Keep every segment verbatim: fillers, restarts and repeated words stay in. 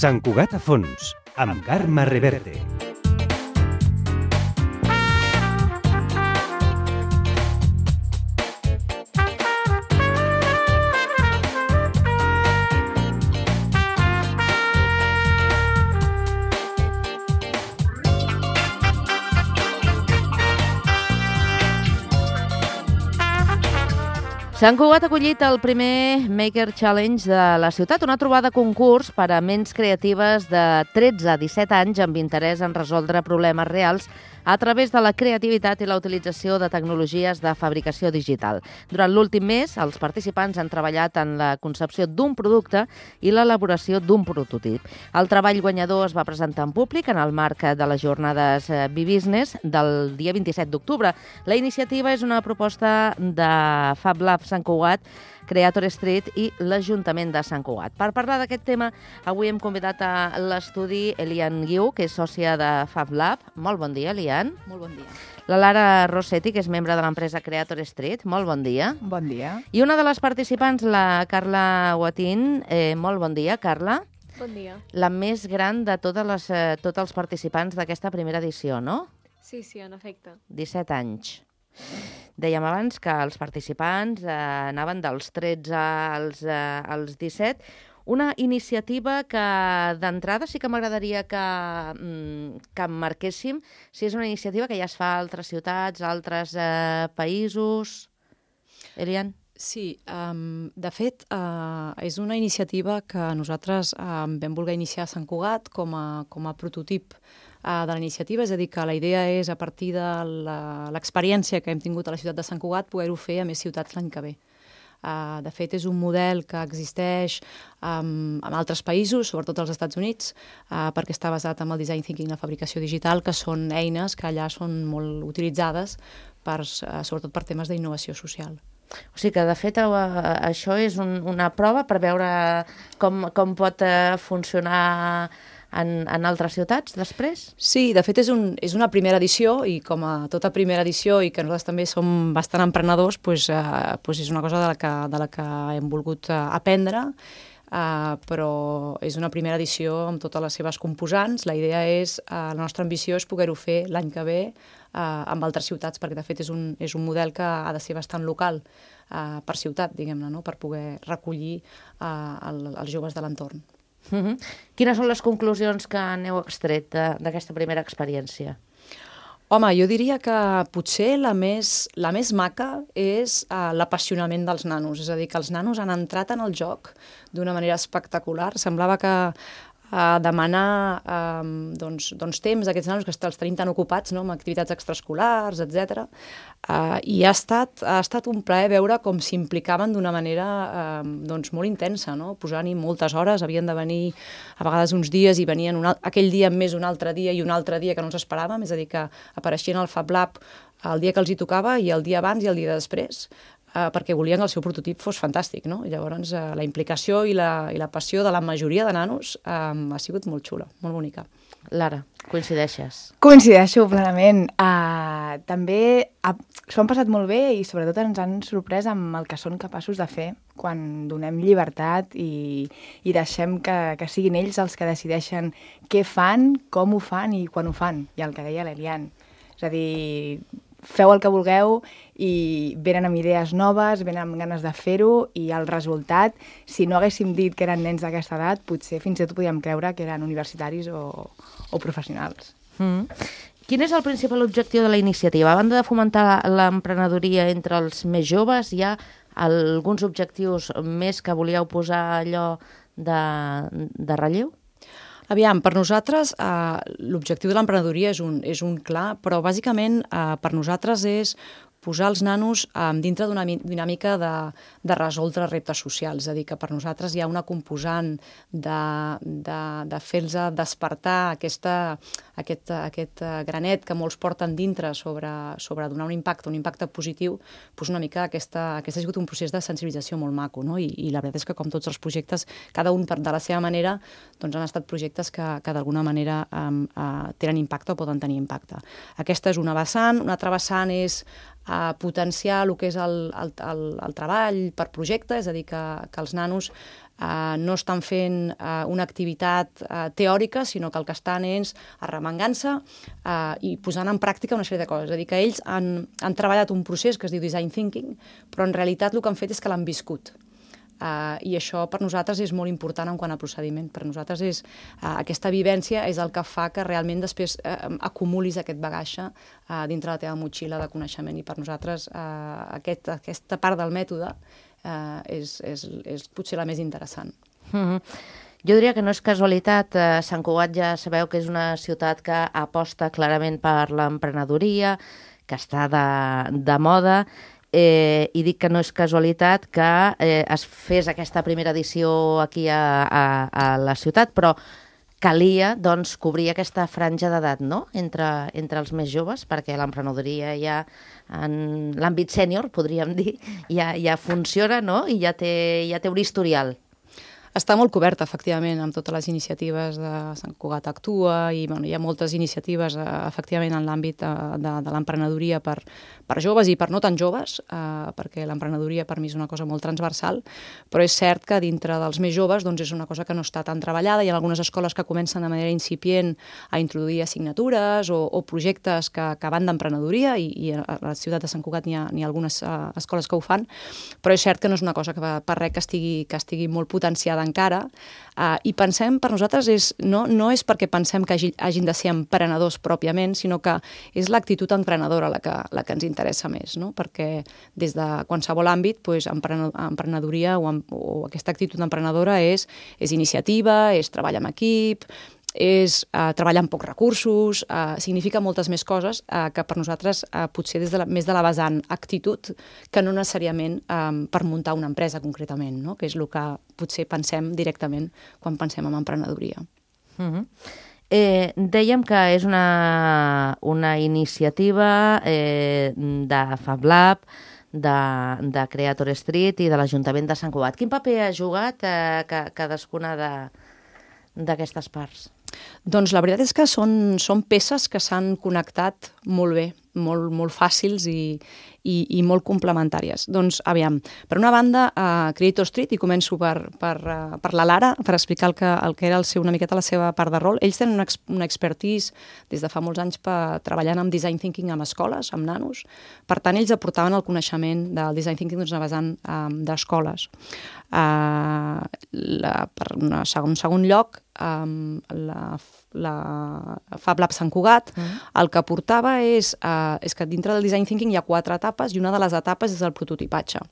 Sant Cugat a fons, amb Carme Reverte. Sant Cugat ha acollit el primer Maker Challenge de la ciutat, una trobada concurs per a ments creatives de tretze a disset anys amb interès en resoldre problemes reals a través de la creativitat i la utilització de tecnologies de fabricació digital. Durant l'últim mes, els participants han treballat en la concepció d'un producte i l'elaboració d'un prototip. El treball guanyador es va presentar en públic en el marc de les jornades B-Business del dia vint-i-set d'octubre. La iniciativa és una proposta de Fab Lab Sant Cugat, Creator Street i l'Ajuntament de Sant Cugat. Per parlar d'aquest tema, avui hem convidat a l'estudi Elian Guiu, que és sòcia de Fab Lab. Molt bon dia, Elian. Molt bon dia. La Lara Rossetti, que és membre de l'empresa Creator Street. Molt bon dia. Bon dia. I una de les participants, la Carla Guatín. Eh, molt bon dia, Carla. Bon dia. La més gran de totes les, eh, tots els participants d'aquesta primera edició, no? Sí, sí, en efecte. disset anys. Dèiem abans que els participants eh, anaven dels tretze als, eh, als disset. Una iniciativa que d'entrada sí que m'agradaria que, mm, que marquéssim si és una iniciativa que ja es fa a altres ciutats, a altres eh, països. Elian? Sí, um, de fet, uh, és una iniciativa que nosaltres um, vam voler iniciar a Sant Cugat com a, com a prototip uh, de la iniciativa, és a dir, que la idea és, a partir de l'experiència que hem tingut a la ciutat de Sant Cugat, poder-ho fer a més ciutats l'any que ve. Uh, de fet, és un model que existeix um, en altres països, sobretot als Estats Units, uh, perquè està basat en el design thinking i la fabricació digital, que són eines que allà són molt utilitzades, per, uh, sobretot per temes d'innovació social. O sigui que, de fet, això és un, una prova per veure com, com pot funcionar en, en altres ciutats després? Sí, de fet és, un, és una primera edició i com a tota primera edició i que nosaltres també som bastant emprenedors, doncs, eh, doncs és una cosa de la que, de la que hem volgut eh, aprendre, eh, però és una primera edició amb totes les seves composants. La idea és, eh, la nostra ambició és poder-ho fer l'any que ve eh, amb altres ciutats, perquè de fet és un, és un model que ha de ser bastant local eh, per ciutat, diguem-ne, no? Per poder recollir eh, el, els joves de l'entorn. Uh-huh. Quines són les conclusions que n'heu extret d'aquesta primera experiència? Home, jo diria que potser la més, la més maca és uh, l'apassionament dels nanos. És a dir, que els nanos han entrat en el joc d'una manera espectacular. Semblava que a demanar um, doncs, doncs temps d'aquests nanos que els tenim tan ocupats, no?, amb activitats extraescolars, etcètera. Uh, I ha estat, ha estat un plaer veure com s'implicaven d'una manera uh, doncs, molt intensa, no? Posant-hi moltes hores, havien de venir a vegades uns dies i venien un, aquell dia més un altre dia i un altre dia que no ens esperàvem, és a dir, que apareixien al Fab Lab el dia que els hi tocava i el dia abans i el dia després, Uh, perquè volien que el seu prototip fos fantàstic, no? I llavors uh, la implicació i la, i la passió de la majoria de nanos um, ha sigut molt xula, molt bonica. Lara, coincideixes? Coincideixo plenament. Uh, també uh, s'ho han passat molt bé i sobretot ens han sorprès amb el que són capaços de fer quan donem llibertat i, i deixem que, que siguin ells els que decideixen què fan, com ho fan i quan ho fan. I el que deia l'Elian. És a dir, feu el que vulgueu i venen amb idees noves, venen amb ganes de fer-ho i el resultat, si no haguéssim dit que eren nens d'aquesta edat, potser fins i tot podíem creure que eren universitaris o, o professionals. Mm. Quin és el principal objectiu de la iniciativa? A banda de fomentar l'emprenedoria entre els més joves, hi ha alguns objectius més que volíeu posar allò de, de relleu? Aviam, per nosaltres eh, l'objectiu de l'emprenedoria és un, és un clar, però bàsicament eh, per nosaltres és posar els nanos eh, dintre d'una dinàmica de, de resoldre reptes socials. És a dir, que per nosaltres hi ha una composant de, de, de fer-los despertar aquesta, aquest, aquest granet que molts porten dintre sobre, sobre donar un impacte, un impacte positiu, doncs una mica aquesta, aquest ha sigut un procés de sensibilització molt maco, no? I, i la veritat és que com tots els projectes, cada un de la seva manera, doncs han estat projectes que, que d'alguna manera eh, eh, tenen impacte o poden tenir impacte. Aquesta és una vessant, una altra vessant és a potenciar el que és el, el, el, el treball per projecte, és a dir, que, que els nanos Uh, no estan fent uh, una activitat uh, teòrica, sinó que el que estan és arremangant-se uh, i posant en pràctica una sèrie de coses. És a dir, que ells han, han treballat un procés que es diu design thinking, però en realitat el que han fet és que l'han viscut. Uh, I això per nosaltres és molt important en quant a procediment. Per nosaltres és, uh, aquesta vivència és el que fa que realment després uh, acumulis aquest bagatge uh, dintre la teva motxilla de coneixement. I per nosaltres uh, aquest, aquesta part del mètode Uh, és, és, és potser la més interessant. Mm-hmm. Jo diria que no és casualitat. Uh, Sant Cugat ja sabeu que és una ciutat que aposta clarament per l'emprenedoria, que està de, de moda, eh, i dic que no és casualitat que eh, es fes aquesta primera edició aquí a, a, a la ciutat, però calia, doncs, cobrir aquesta franja d'edat, no?, entre, entre els més joves, perquè l'emprenedoria ja, en l'àmbit sènior, podríem dir, ja, ja funciona, no?, i ja té, ja té un historial. Està molt coberta, efectivament, amb totes les iniciatives de Sant Cugat Actua i bueno, hi ha moltes iniciatives, eh, efectivament, en l'àmbit de, de, de l'emprenedoria per, per joves i per no tan joves, eh, perquè l'emprenedoria per mi és una cosa molt transversal, però és cert que dintre dels més joves doncs, és una cosa que no està tan treballada. Hi ha algunes escoles que comencen de manera incipient a introduir assignatures o, o projectes que, que van d'emprenedoria i, i a la ciutat de Sant Cugat n'hi ha, n'hi ha algunes uh, escoles que ho fan, però és cert que no és una cosa que va, per res que estigui, que estigui molt potenciada encara, uh, i pensem, per nosaltres, és, no, no és perquè pensem que hagi, hagin de ser emprenedors pròpiament, sinó que és l'actitud emprenedora la que, la que ens interessa més, no? Perquè des de qualsevol àmbit, pues, emprenedoria o, o aquesta actitud emprenedora és, és iniciativa, és treball en equip, és uh, treballar amb pocs recursos, uh, significa moltes més coses uh, que per nosaltres uh, potser des de la, més de la vessant actitud que no necessàriament um, per muntar una empresa concretament, no? Que és el que potser pensem directament quan pensem en emprenedoria. Mm-hmm. Eh, dèiem que és una, una iniciativa eh, de FabLab, de, de Creator Street i de l'Ajuntament de Sant Cugat. Quin paper ha jugat eh, cadascuna de, d'aquestes parts? Doncs la veritat és que són, són peces que s'han connectat molt bé, molt, molt fàcils i, i, i molt complementàries. Doncs, aviam, per una banda, a Creator Street, i començo per, per, uh, per la Lara, per explicar el que, el que era el seu, una miqueta la seva part de rol. Ells tenen una, una expertise des de fa molts anys per, treballant amb design thinking amb escoles, amb nanos. Per tant, ells aportaven el coneixement del design thinking doncs, vessant um, d'escoles. Uh, la, per un segon, segon lloc, um, la, la FabLab Sant Cugat, mm. el que portava és, uh, és que dintre del design thinking hi ha quatre etapes i una de les etapes és el prototipatge,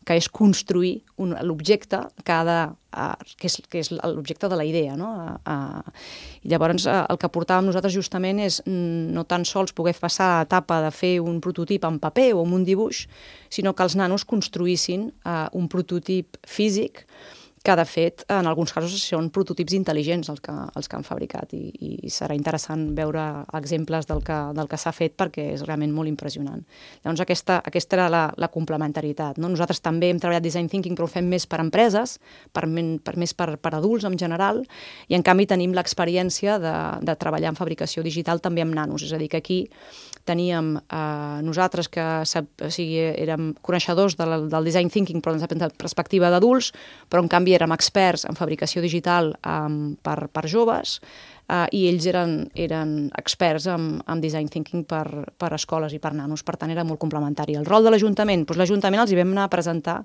que és construir un, l'objecte que, ha de, uh, que és, que és l'objecte de la idea. No? Uh, uh, I llavors uh, el que portàvem nosaltres justament és no tan sols poder passar a l'etapa de fer un prototip en paper o en un dibuix, sinó que els nanos construïssin uh, un prototip físic que, de fet, en alguns casos són prototips intel·ligents els que, els que han fabricat i, i serà interessant veure exemples del que, del que s'ha fet perquè és realment molt impressionant. Llavors, aquesta, aquesta era la, la complementaritat. No? Nosaltres també hem treballat design thinking, però ho fem més per empreses, per, per més per, per adults en general, i en canvi tenim l'experiència de, de treballar en fabricació digital també amb nanos. És a dir, que aquí teníem eh, nosaltres que o sigui, érem coneixedors del, del design thinking però des de perspectiva d'adults, però en canvi érem experts en fabricació digital um, per, per joves uh, i ells eren, eren experts en, en design thinking per, per escoles i per nanos, per tant era molt complementari. El rol de l'Ajuntament, doncs l'Ajuntament els hi vam anar a presentar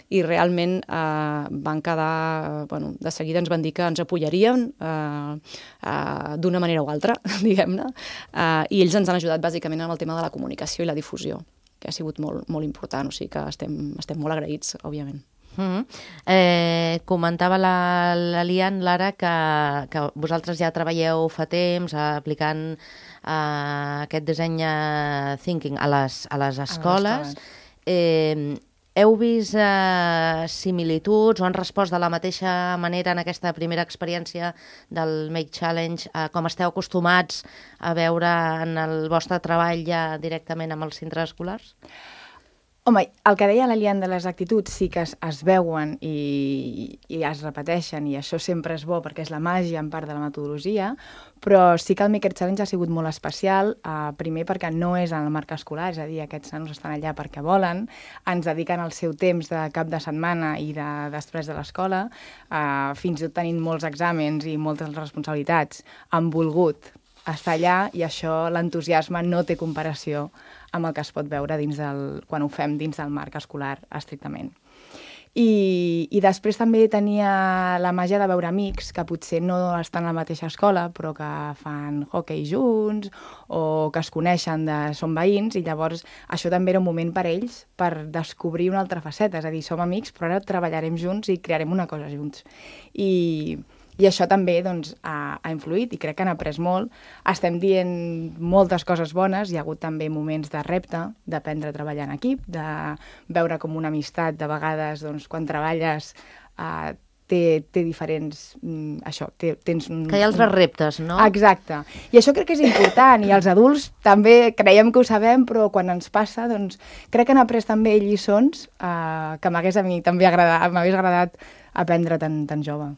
i realment eh, van quedar, bueno, de seguida ens van dir que ens apoyarien eh, eh, d'una manera o altra, diguem-ne, eh, i ells ens han ajudat bàsicament amb el tema de la comunicació i la difusió, que ha sigut molt, molt important, o sigui que estem, estem molt agraïts, òbviament. Mm-hmm. eh, comentava la, la Lian, Lara, que, que vosaltres ja treballeu fa temps aplicant eh, aquest disseny thinking a les, a les escoles. Eh, heu vist eh, similituds o han respost de la mateixa manera en aquesta primera experiència del Make Challenge, eh, com esteu acostumats a veure en el vostre treball ja directament amb els centres escolars? Home, el que deia l'Elian de les actituds sí que es, es veuen i, i es repeteixen, i això sempre és bo perquè és la màgia en part de la metodologia, però sí que el Maker Challenge ha sigut molt especial, eh, primer perquè no és en el marc escolar, és a dir, aquests nanos estan allà perquè volen, ens dediquen el seu temps de cap de setmana i de, després de l'escola, eh, fins i tot tenint molts exàmens i moltes responsabilitats, han volgut estar allà, i això, l'entusiasme no té comparació amb el que es pot veure dins del, quan ho fem dins del marc escolar estrictament. I, I després també tenia la màgia de veure amics que potser no estan a la mateixa escola, però que fan hockey junts o que es coneixen, de, són veïns, i llavors això també era un moment per ells per descobrir una altra faceta, és a dir, som amics, però ara treballarem junts i crearem una cosa junts. I... I això també doncs, ha, ha influït, i crec que han après molt. Estem dient moltes coses bones, hi ha hagut també moments de repte, d'aprendre a treballar en equip, de veure com una amistat, de vegades, doncs, quan treballes, eh, té, té diferents... Mm, això, té, tens... Un, que hi ha altres reptes, no? Exacte. I això crec que és important, i els adults també creiem que ho sabem, però quan ens passa, doncs, crec que han après també lliçons eh, que m'hagués a mi també agradat, m'hagués agradat aprendre tan, tan jove.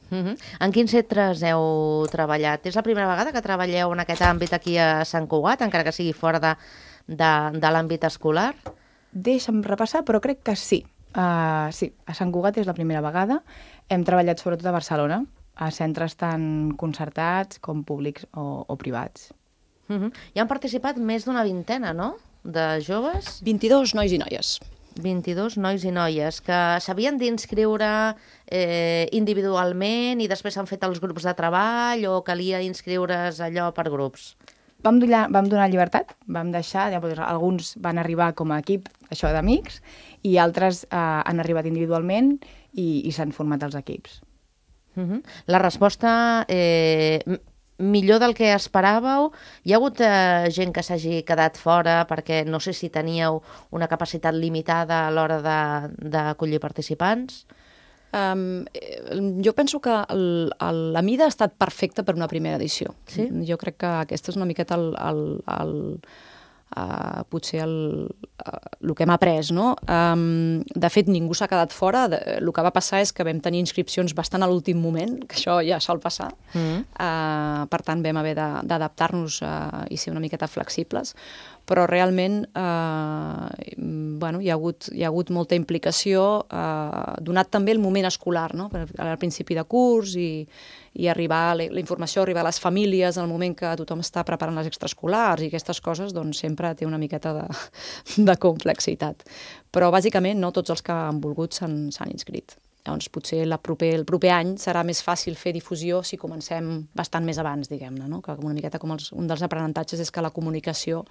Uh-huh. En quins centres heu treballat? És la primera vegada que treballeu en aquest àmbit aquí a Sant Cugat, encara que sigui fora de, de, de l'àmbit escolar? Deixa'm repassar, però crec que sí. Uh, sí, a Sant Cugat és la primera vegada. Hem treballat sobretot a Barcelona, a centres tant concertats com públics o, o privats. Uh-huh. Hi han participat més d'una vintena, no?, de joves? vint-i-dos nois i noies. vint-i-dos nois i noies que s'havien d'inscriure eh, individualment i després s'han fet els grups de treball, o calia inscriure's allò per grups? Vam donar, vam donar llibertat, vam deixar, ja, alguns van arribar com a equip, això d'amics, i altres eh, han arribat individualment i, i s'han format els equips. Uh-huh. La resposta... Eh, millor del que esperàveu? Hi ha hagut eh, gent que s'hagi quedat fora perquè no sé si teníeu una capacitat limitada a l'hora d'acollir participants? Um, jo penso que el, el, la mida ha estat perfecta per una primera edició. Sí? Jo crec que aquesta és una miqueta el, el, el, uh, potser el, uh, el que hem après, no? Um, de fet, ningú s'ha quedat fora. De, el que va passar és que vam tenir inscripcions bastant a l'últim moment, que això ja sol passar. Mm. Uh, per tant, vam haver d'adaptar-nos uh, i ser una miqueta flexibles. Però realment eh, bueno, hi, ha hagut, hi ha hagut molta implicació, eh, donat també el moment escolar, no? Al principi de curs, i, i arribar, la, la informació arribar a les famílies en el moment que tothom està preparant les extraescolars i aquestes coses, doncs sempre té una miqueta de, de complexitat. Però bàsicament no tots els que han volgut s'han inscrit. Llavors, potser la proper, el proper any serà més fàcil fer difusió si comencem bastant més abans, diguem-ne, no? Que una miqueta com els, un dels aprenentatges és que la comunicació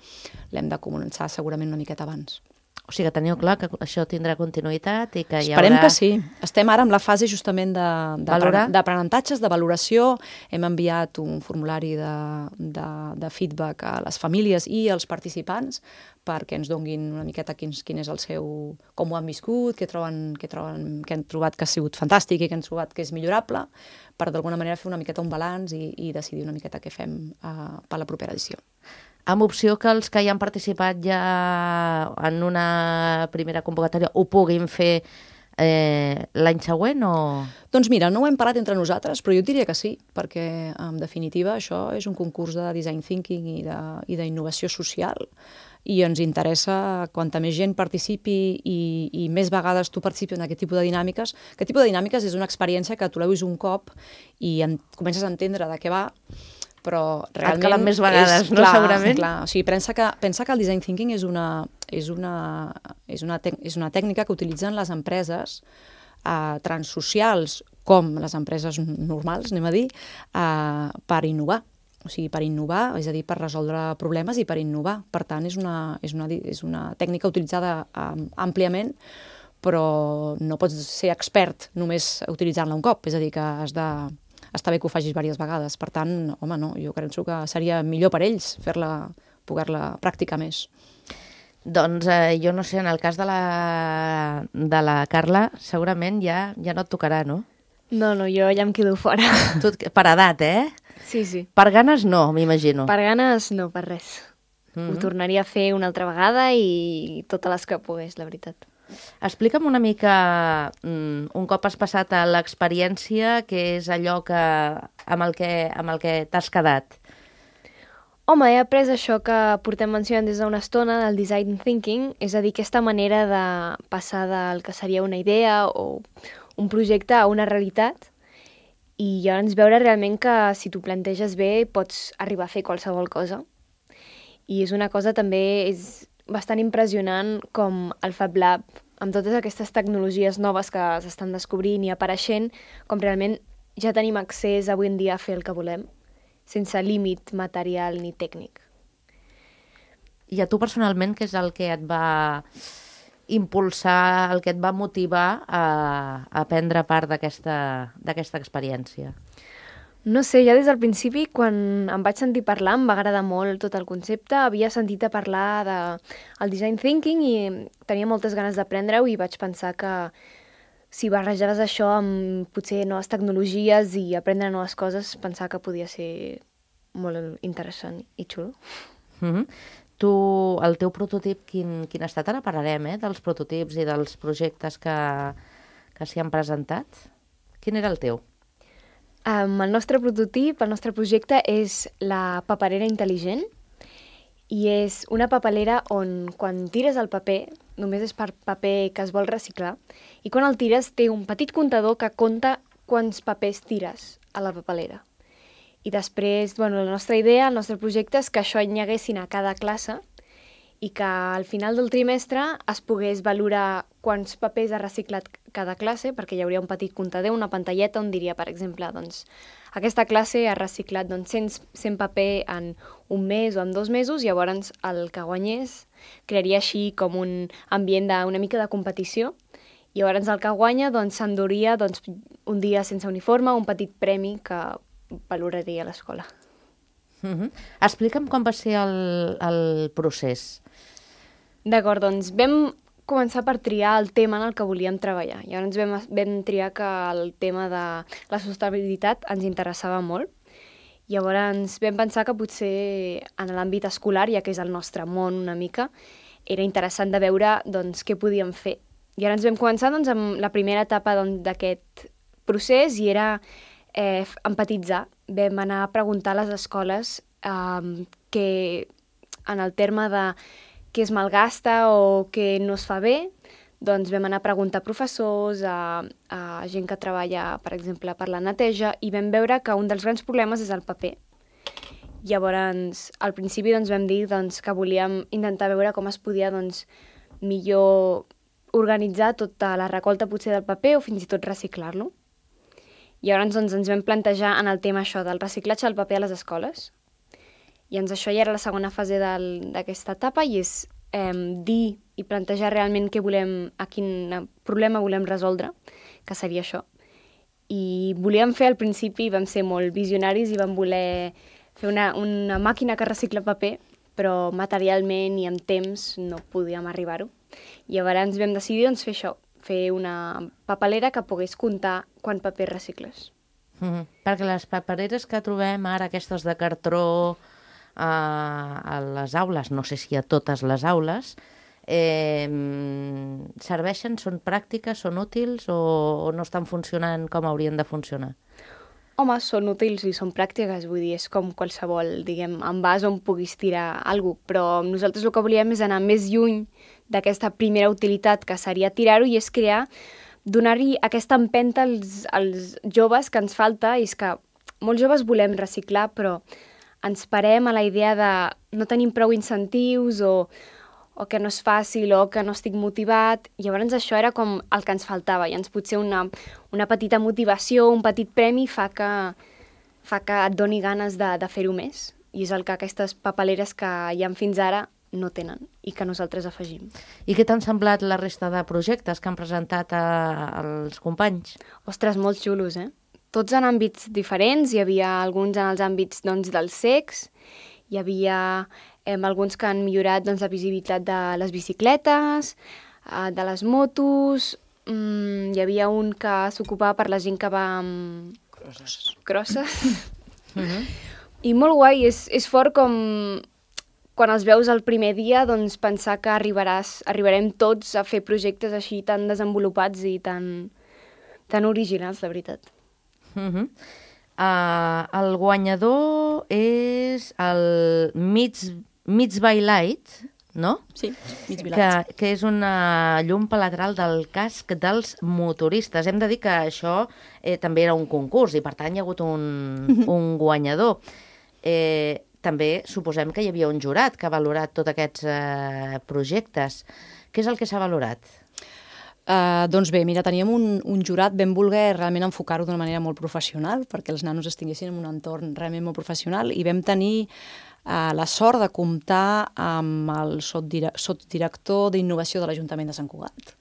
l'hem de començar segurament una miqueta abans. O sigui que teniu clar que això tindrà continuïtat i que hi haurà... Esperem que sí. Estem ara en la fase justament d'aprenentatges, de, de valoració. Hem enviat un formulari de, de, de feedback a les famílies i als participants perquè ens donguin una miqueta quin, quin és el seu... com ho han viscut, què troben, què troben, què han trobat que ha sigut fantàstic i què han trobat que és millorable, per d'alguna manera fer una miqueta un balanç i, i decidir una miqueta què fem uh, per la propera edició. Amb opció que els que hi han participat ja en una primera convocatòria ho puguin fer eh, l'any següent o...? Doncs mira, no ho hem parlat entre nosaltres, però jo diria que sí, perquè en definitiva això és un concurs de design thinking i d'innovació social, i ens interessa quanta més gent participi i, i més vegades tu participis en aquest tipus de dinàmiques. Aquest tipus de dinàmiques és una experiència que tu l'heu vist un cop i en, comences a entendre de què va, però realment... Et calen més vegades, és, no? Clar, segurament. Clar. O sigui, pensa que, pensa que el design thinking és una, és una, és una, tec, és una tècnica que utilitzen les empreses eh, transsocials, com les empreses normals, anem a dir, eh, per innovar. O sigui, per innovar, és a dir, per resoldre problemes i per innovar. Per tant, és una, és una, és una tècnica utilitzada um, àmpliament, però no pots ser expert només utilitzant-la un cop. És a dir, que has de... està bé que ho facis diverses vegades. Per tant, home, no, jo crec que seria millor per ells fer-la, poder-la practicar més. Doncs eh, jo no sé, en el cas de la, de la Carla, segurament ja, ja no et tocarà, no? No, no, jo ja em quedo fora. Tu, per edat, eh? Sí, sí. Per ganes no, m'imagino. Per ganes no, per res. Mm-hmm. Ho tornaria a fer una altra vegada i totes les que pogués, la veritat. Explica'm una mica, un cop has passat a l'experiència, què és allò que, amb el que, amb el que t'has quedat? Home, he après això que portem mencionant des d'una estona, del design thinking, és a dir, aquesta manera de passar del que seria una idea o un projecte a una realitat i llavors veure realment que si t'ho planteges bé pots arribar a fer qualsevol cosa. I és una cosa també, és bastant impressionant com el Fab Lab, amb totes aquestes tecnologies noves que s'estan descobrint i apareixent, com realment ja tenim accés avui en dia a fer el que volem, sense límit material ni tècnic. I a tu personalment, què és el que et va impulsar, el que et va motivar a, a prendre part d'aquesta experiència? No sé, ja des del principi, quan em vaig sentir parlar, em va agradar molt tot el concepte. Havia sentit a parlar del design thinking i tenia moltes ganes d'aprendre-ho i vaig pensar que si barrejaves això amb potser noves tecnologies i aprendre noves coses, pensava que podia ser molt interessant i xulo. Mm-hmm. Tu, el teu prototip, quin, quin ha estat? Ara parlarem eh, dels prototips i dels projectes que, que s'hi han presentat. Quin era el teu? Um, el nostre prototip, el nostre projecte és la paperera intel·ligent i és una papelera on quan tires el paper, només és per paper que es vol reciclar, i quan el tires té un petit comptador que compta quants papers tires a la papelera. I després, bueno, la nostra idea, el nostre projecte és que això hi haguessin a cada classe i que al final del trimestre es pogués valorar quants papers ha reciclat cada classe, perquè hi hauria un petit comptador, una pantalleta on diria, per exemple, doncs, aquesta classe ha reciclat doncs, cent, cent paper en un mes o en dos mesos, llavors el que guanyés crearia així com un ambient d'una mica de competició, i llavors el que guanya doncs, s'enduria doncs, un dia sense uniforme, un petit premi que valoraria a l'escola. Mm-hmm. Explica'm com va ser el, el procés. D'acord, doncs vam començar per triar el tema en el que volíem treballar. Llavors vam, vam triar que el tema de la sostenibilitat ens interessava molt. Llavors vam pensar que potser en l'àmbit escolar, ja que és el nostre món una mica, era interessant de veure doncs, què podíem fer. I ara ens vam començar doncs, amb la primera etapa d'aquest doncs, procés i era eh, empatitzar. Vam anar a preguntar a les escoles eh, que en el terme de què es malgasta o què no es fa bé, doncs vam anar a preguntar a professors, a, a gent que treballa, per exemple, per la neteja, i vam veure que un dels grans problemes és el paper. Llavors, al principi doncs, vam dir doncs, que volíem intentar veure com es podia doncs, millor organitzar tota la recolta potser del paper o fins i tot reciclar-lo. Llavors doncs, ens vam plantejar en el tema això del reciclatge del paper a les escoles. I doncs això ja era la segona fase d'aquesta etapa i és eh, dir i plantejar realment què volem, a quin problema volem resoldre, que seria això. I volíem fer al principi, vam ser molt visionaris i vam voler fer una, una màquina que recicla paper, però materialment i en temps no podíem arribar-ho. I llavors vam decidir doncs, fer això, fer una papelera que pogués comptar quant paper recicles. Mm-hmm. Perquè les papereres que trobem ara, aquestes de cartró, a les aules, no sé si a totes les aules, eh, serveixen, són pràctiques, són útils o, o no estan funcionant com haurien de funcionar? Home, són útils i són pràctiques, vull dir, és com qualsevol, diguem, envàs on puguis tirar alguna cosa, però nosaltres el que volíem és anar més lluny d'aquesta primera utilitat que seria tirar-ho i és crear, donar-hi aquesta empenta als, als joves que ens falta, i és que molts joves volem reciclar, però ens parem a la idea de no tenim prou incentius o, o que no és fàcil o que no estic motivat. Llavors això era com el que ens faltava. I ens potser una, una petita motivació, un petit premi fa que, fa que et doni ganes de, de fer-ho més. I és el que aquestes papeleres que hi ha fins ara no tenen i que nosaltres afegim. I què t'han semblat la resta de projectes que han presentat a, als companys? Ostres, molt xulos, eh? Tots en àmbits diferents, hi havia alguns en els àmbits doncs, del sex, hi havia eh, alguns que han millorat doncs, la visibilitat de les bicicletes, eh, de les motos, mm, hi havia un que s'ocupava per la gent que va amb crosses. crosses. Mm-hmm. I molt guai, és, és fort com quan els veus el primer dia, doncs pensar que arribaràs, arribarem tots a fer projectes així tan desenvolupats i tan, tan originals, de veritat. Uh-huh. uh, el guanyador és el Meets, Meets by Light, no? Sí, mig Que, vilat. que és una llum lateral del casc dels motoristes. Hem de dir que això eh, també era un concurs i, per tant, hi ha hagut un, un guanyador. Eh, també suposem que hi havia un jurat que ha valorat tots aquests eh, projectes. Què és el que s'ha valorat? Uh, doncs bé, mira, teníem un, un jurat ben voler realment enfocar-ho d'una manera molt professional, perquè els nanos estiguessin en un entorn realment molt professional, i vam tenir uh, la sort de comptar amb el sotsdirector d'innovació de l'Ajuntament de Sant Cugat,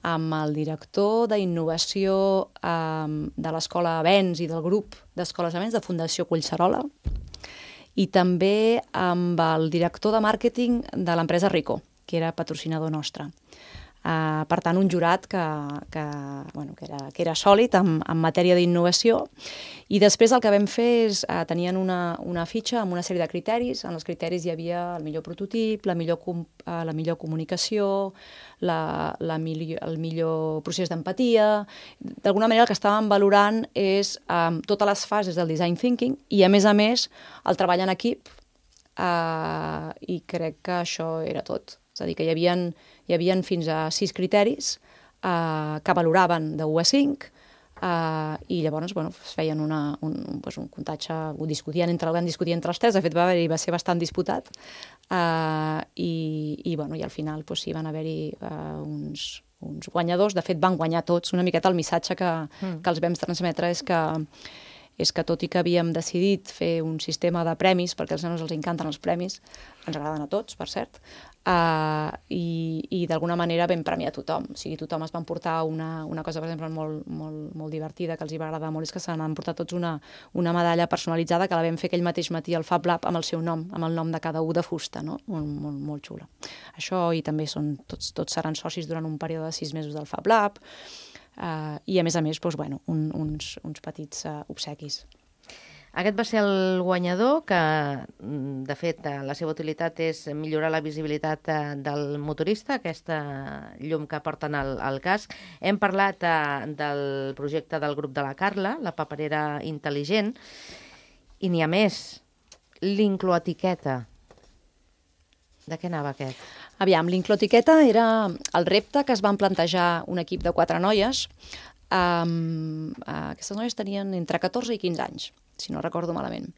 amb el director d'innovació um, de l'Escola Avens i del grup d'Escoles Avens de Fundació Collserola, i també amb el director de màrqueting de l'empresa Rico, que era patrocinador nostre. Uh, per tant, un jurat que, que, bueno, que, era, que era sòlid en, en matèria d'innovació. I després el que vam fer és, uh, tenien una, una fitxa amb una sèrie de criteris. En els criteris hi havia el millor prototip, la millor, com, uh, la millor comunicació, la, la millor, el millor procés d'empatia. D'alguna manera el que estàvem valorant és um, totes les fases del design thinking i, a més a més, el treball en equip, uh, i crec que això era tot. És a dir, que hi havia, hi havia fins a sis criteris eh, que valoraven de u a cinc eh, i llavors bueno, es feien una, un, un, pues un comptatge, ho discutien entre, van discutir entre els tres, de fet va, haver va ser bastant disputat eh, i, i, bueno, i al final pues, sí van haver-hi eh, uns, uns guanyadors, de fet van guanyar tots, una miqueta el missatge que, mm. que els vam transmetre és que és que tot i que havíem decidit fer un sistema de premis, perquè als nanos els encanten els premis, ens agraden a tots, per cert, uh, i, i d'alguna manera vam premiar tothom. O sigui, tothom es van portar una, una cosa, per exemple, molt, molt, molt divertida, que els hi va agradar molt, és que se n'han portat tots una, una medalla personalitzada que la vam fer aquell mateix matí al Fab Lab amb el seu nom, amb el nom de cada u de fusta, no? Molt, molt, molt xula. Això, i també són, tots, tots seran socis durant un període de sis mesos del Fab Lab, Uh, i a més a més doncs, bueno, un, uns, uns petits uh, obsequis. Aquest va ser el guanyador que, de fet, la seva utilitat és millorar la visibilitat del motorista, aquesta llum que porten al, al casc. Hem parlat uh, del projecte del grup de la Carla, la paperera intel·ligent, i n'hi ha més, l'Incloetiqueta. De què anava aquest? Aviam, l'Incloetiqueta era el repte que es van plantejar un equip de quatre noies. Um, uh, aquestes noies tenien entre catorze i quinze anys, si no recordo malament.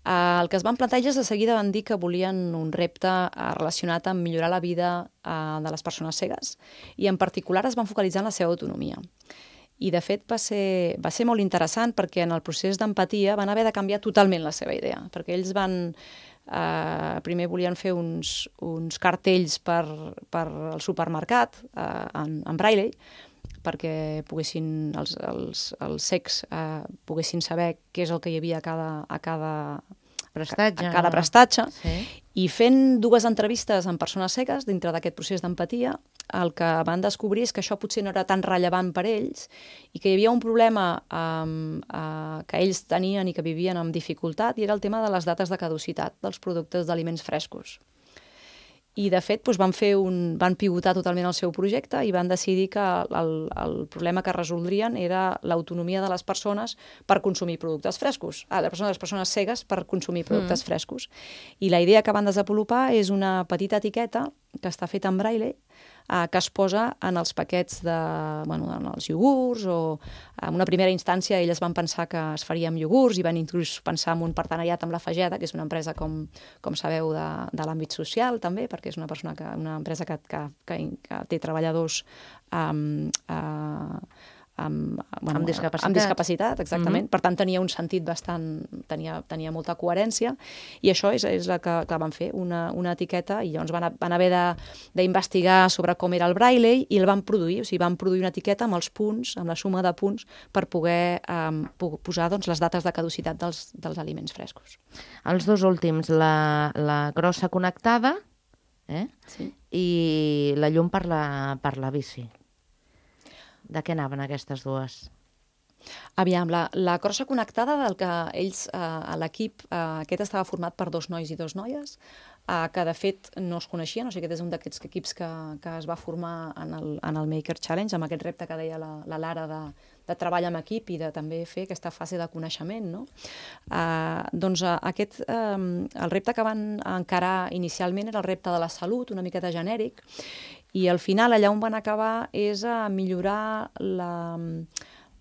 Uh, el que es van plantejar és de seguida van dir que volien un repte uh, relacionat amb millorar la vida uh, de les persones cegues i en particular es van focalitzar en la seva autonomia. I de fet va ser, va ser molt interessant perquè en el procés d'empatia van haver de canviar totalment la seva idea, perquè ells van... Uh, primer volien fer uns, uns cartells per, per al supermercat uh, en, en braille perquè poguessin els, els, els cecs uh, poguessin saber què és el que hi havia a cada, a cada prestatge, a cada prestatge. Sí. I fent dues entrevistes amb persones cegues dintre d'aquest procés d'empatia, el que van descobrir és que això potser no era tan rellevant per ells i que hi havia un problema um, uh, que ells tenien i que vivien amb dificultat i era el tema de les dates de caducitat dels productes d'aliments frescos. I, de fet, doncs, van, fer un, van pivotar totalment el seu projecte i van decidir que el, el problema que resoldrien era l'autonomia de les persones per consumir productes frescos. Ah, les persones, les persones cegues per consumir productes mm. frescos. I la idea que van desenvolupar és una petita etiqueta que està feta en braille, eh, que es posa en els paquets de, bueno, en els iogurts, o en una primera instància elles van pensar que es faria amb iogurts i van inclús pensar en un partenariat amb la Fageda, que és una empresa, com, com sabeu, de, de l'àmbit social també, perquè és una, persona que, una empresa que, que, que, que té treballadors um, uh, amb, bueno, amb discapacitat. Amb discapacitat, exactament. Mm-hmm. Per tant, tenia un sentit bastant... Tenia, tenia molta coherència i això és, és la que, que van fer, una, una etiqueta, i llavors van, van haver d'investigar sobre com era el braille i el van produir, o sigui, van produir una etiqueta amb els punts, amb la suma de punts, per poder um, posar doncs, les dates de caducitat dels, dels aliments frescos. Els dos últims, la, la grossa connectada eh? Sí. I la llum per la, per la bici. De què anaven aquestes dues? Aviam, la, la crossa connectada del que ells, eh, a l'equip, eh, aquest estava format per dos nois i dos noies. Uh, que de fet no es coneixien, o sigui, aquest és un d'aquests equips que, que es va formar en el, en el Maker Challenge, amb aquest repte que deia la, la Lara de, de treball amb equip i de també fer aquesta fase de coneixement, no? Uh, doncs uh, aquest, um, el repte que van encarar inicialment era el repte de la salut, una miqueta genèric, i al final allà on van acabar és a millorar la...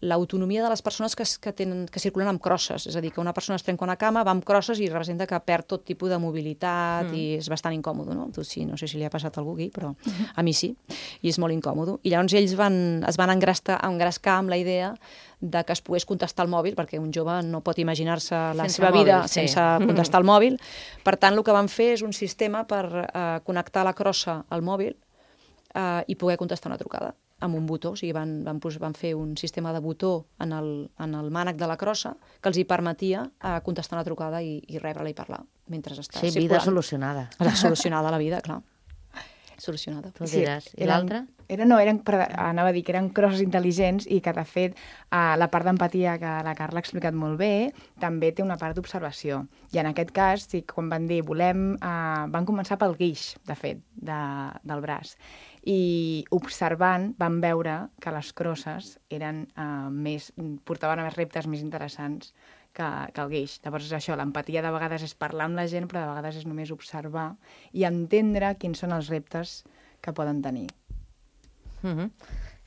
l'autonomia de les persones que, que, tenen, que circulen amb crosses. És a dir, que una persona es trenca una cama, va amb crosses i representa que perd tot tipus de mobilitat mm. i és bastant incòmode, no? Tu sí, no sé si li ha passat a algú aquí, però a mi sí, i és molt incòmode. I llavors ells van, es van engrescar, engrescar amb la idea de que es pogués contestar al mòbil, perquè un jove no pot imaginar-se la sense seva mòbil, vida sí. sense contestar al mòbil. Per tant, el que van fer és un sistema per eh, connectar la crossa al mòbil eh, i poder contestar una trucada amb un botó, o sigui, van, van, van fer un sistema de botó en el, en el mànec de la crossa que els hi permetia eh, contestar una trucada i, i rebre-la i parlar mentre està sí, circulant. vida solucionada. La solucionada la vida, clar. Solucionada. Tu diràs. I l'altra? Era, no, eren, anava a dir que eren crosses intel·ligents i que, de fet, eh, la part d'empatia que la Carla ha explicat molt bé també té una part d'observació. I en aquest cas, sí, quan van dir, volem... Eh, van començar pel guix, de fet, de, del braç. I observant van veure que les crosses eren, eh, més, portaven a més reptes més interessants que, que el guix. Llavors és això, l'empatia de vegades és parlar amb la gent, però de vegades és només observar i entendre quins són els reptes que poden tenir. Uh-huh.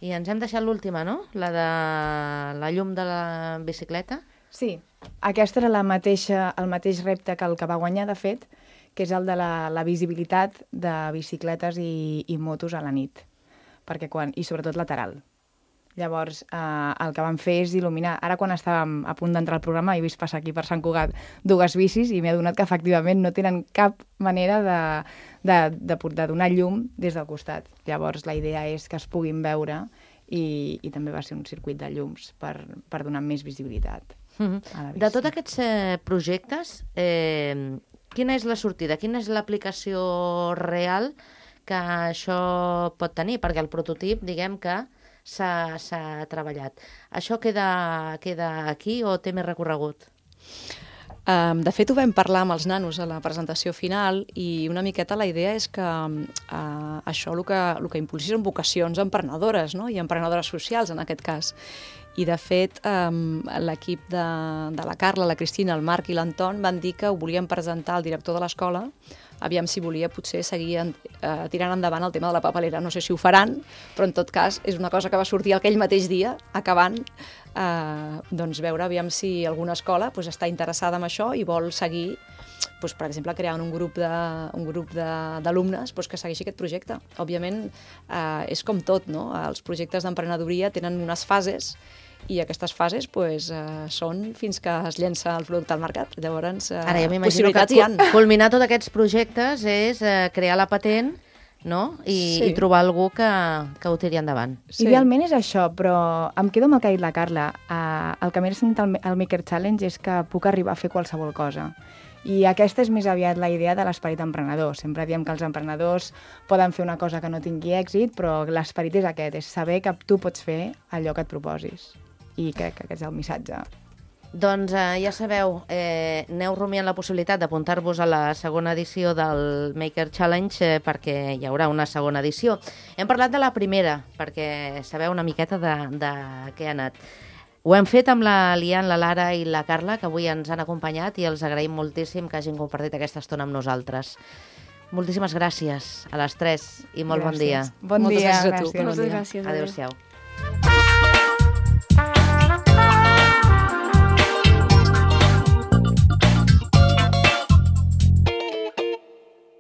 I ens hem deixat l'última, no? La de la llum de la bicicleta? Sí, aquesta era la mateixa, el mateix repte que el que va guanyar, de fet, que és el de la, la visibilitat de bicicletes i, i motos a la nit, perquè quan, i sobretot lateral. Llavors, eh, el que vam fer és il·luminar. Ara, quan estàvem a punt d'entrar al programa, he vist passar aquí per Sant Cugat dues bicis i m'he adonat que, efectivament, no tenen cap manera de, de, de, de donar llum des del costat. Llavors, la idea és que es puguin veure i, i també va ser un circuit de llums per, per donar més visibilitat. Mm-hmm. De tots aquests eh, projectes, eh, quina és la sortida? Quina és l'aplicació real que això pot tenir? Perquè el prototip, diguem que s'ha treballat. Això queda, queda aquí o té més recorregut? Um, de fet, ho vam parlar amb els nanos a la presentació final i una miqueta la idea és que uh, això el que, el que impulsi són vocacions emprenedores, no? I emprenedores socials, en aquest cas. I, de fet, um, l'equip de, de la Carla, la Cristina, el Marc i l'Anton van dir que ho volien presentar al director de l'escola, aviam si volia potser seguir en, uh, tirant endavant el tema de la papelera. No sé si ho faran, però en tot cas és una cosa que va sortir aquell mateix dia, acabant, uh, doncs veure aviam si alguna escola pues, està interessada en això i vol seguir, pues, per exemple, creant un grup de, un grup d'alumnes pues, que segueixi aquest projecte. Òbviament, uh, és com tot, no? Els projectes d'emprenedoria tenen unes fases i aquestes fases pues, uh, són fins que es llença el producte al mercat. Llavors, uh, Ara, ja m'imagino que culminar tots aquests projectes és uh, crear la patent, no? I, sí. i trobar algú que, que ho tiri endavant. Sí. Idealment és això, però em quedo amb el que ha dit la Carla. Uh, el que m'he sentit al, al Maker Challenge és que puc arribar a fer qualsevol cosa. I aquesta és més aviat la idea de l'esperit emprenedor. Sempre diem que els emprenedors poden fer una cosa que no tingui èxit, però l'esperit és aquest, és saber que tu pots fer allò que et proposis. I crec que aquest és el missatge. Doncs eh, ja sabeu, eh, aneu rumiant la possibilitat d'apuntar-vos a la segona edició del Maker Challenge eh, perquè hi haurà una segona edició. Hem parlat de la primera, perquè sabeu una miqueta de, de què ha anat. Ho hem fet amb la Lian, la Lara i la Carla, que avui ens han acompanyat i els agraïm moltíssim que hagin compartit aquesta estona amb nosaltres. Moltíssimes gràcies a les tres i molt gràcies. bon dia. Bon Moltes dia. gràcies a tu. Gràcies. Moltes gràcies. Adéu-siau.